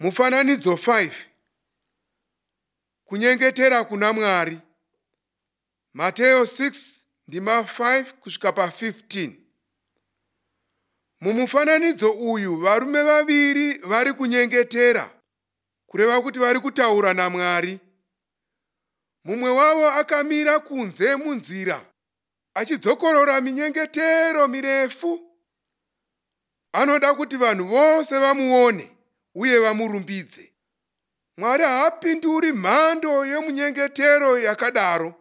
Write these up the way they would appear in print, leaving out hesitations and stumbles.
Mufananidzo 5. Kunyengetera kuna Mwari. Mateo 6 ndima 5 kusvika pa15. Mumufananidzo uyu varume vaviri vari kunyengetera, kureva kuti vari kutaura naMwari. Mumwe wavo akamira kunze munzira achidzokorora minyengetero mirefu. Anoda kuti vanhu vose vamuone uye vamurumbidze. Mwari haapinduri mhando yemunyengetero yakadaro.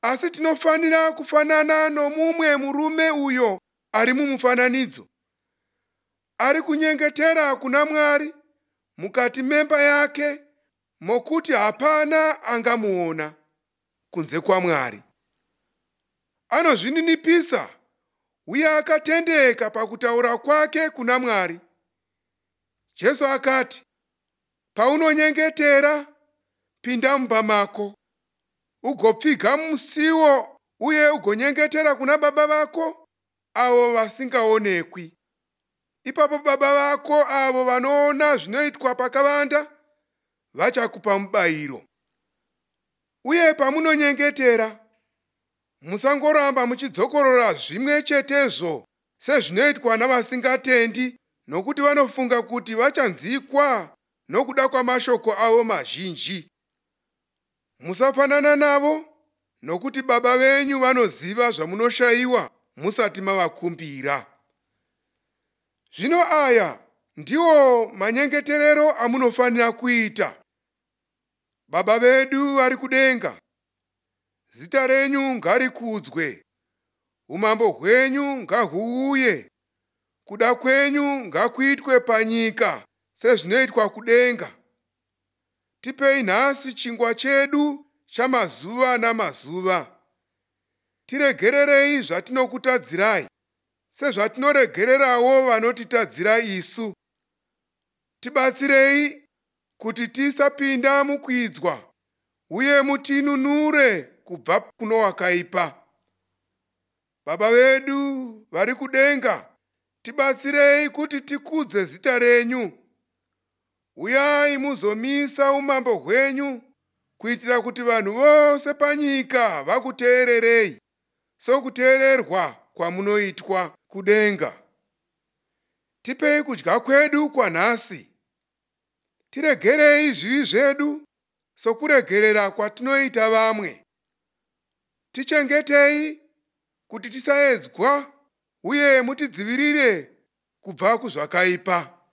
Asi tinofanira kufanana nomumwe murume uyo ari mumufananidzo. Ari kunyengetera kuna Mwari mukati memba yake mokuti hapana angamuona kunze kwaMwari. Anozvininipisa uye akatendeka pakutaura kwake kuna Mwari. Jesu akati, paunonyengetera, pinda mumba mako, ugopfiga musiwo uye ugonyengetera kuna Baba vako avo vasingaonekwi. Ipapo Baba vako avo vanoona zvinoitwa pakavanda vachakupa mubayiro. Uye pamunonyengetera, musangoramba muchidzokorora zvimwe chetezvo sezvinoitwa navasingatendi, nokuti vanofunga kuti vachanzwikwa nokuda kwamashoko avo mazhinji. Musafanana navo, nokuti Baba venyu vanoziva zvamunoshayiwa musati mavakumbira. Zvino aya ndiwo manyengeterero amunofanira kuita. Baba vedu vari kudenga, zita renyu ngarikudzwe, umambo hwenyu ngahuuye, kuda kwenyu ngakuitwe panyika sezvinoitwa kudenga. Tipei nhasi chingwa chedu chamazuva namazuva. Tiregererei zvatinokutadzirai, sezvatinoregererawo vanotitadzira isu. Tibatsirei kuti tisapinda mukuidzwa, uye mutinunure kubva kuno wakaipa. Baba vedu vari kudenga, tibatsirei kuti tikudze zita renyu. Uyai muzomisa umambo hwenyu, kuitira kuti vanhu vose panyika vakuteererei, sokuteererwa kwamunoitwa kudenga. Tipei kudya kwedu kwanhasi. Tiregerei zvivi zvedu sokuregerera kwatinoita vamwe. Tichengetei kuti tisaedzwa uye mutidzivirire kubva kuzvakaipa.